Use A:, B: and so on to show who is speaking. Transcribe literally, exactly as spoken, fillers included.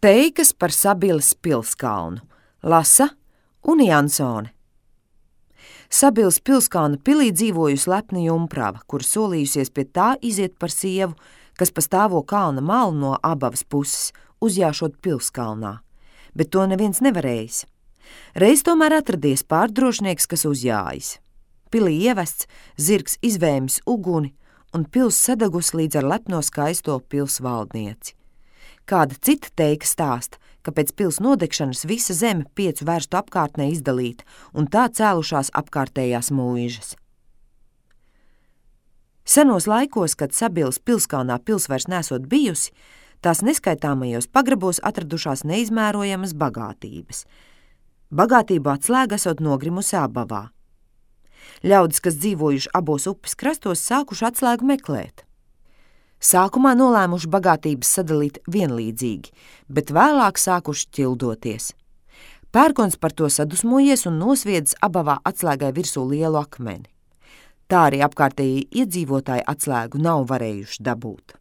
A: Teikas par Sabiles pilskalnu lasa Uni Jansone. Sabiles pilskalna pilī dzīvojusi lepna jumprava, kur solījusies pie tā iziet par sievu, kas pa stāvo kalna malu no Abavas puses, uzjāšot pilskalnā, bet to neviens nevarējis. Reiz tomēr atradies pārdrošnieks, kas uzjājis. Pilī ievests, zirgs izvēmis uguni un pils sadegus līdz ar lepno skaisto pils valdnieci. Kāda cita teika stāsta, ka pēc pils nodegšanas visa zeme piecu vērstu apkārtnē izdalīta un tā cēlušās apkārtējās mūižas. Senos laikos, kad Sabiles pilskalnā pils vairs nesot bijusi, tās neskaitāmajos pagrabos atradušās neizmērojamas bagātības. Bagātību atslēga esot nogrimusi Abavā. Ļaudis, kas dzīvojuši abos upes krastos, sākuši atslēgu meklēt. Sākumā nolēmuši bagātības sadalīt vienlīdzīgi, bet vēlāk sākuši ķildoties. Pērkons par to sadusmojies un nosviedis Abavā atslēgai virsū lielu akmeni. Tā arī apkārtēji iedzīvotāji atslēgu nav varējuši dabūt.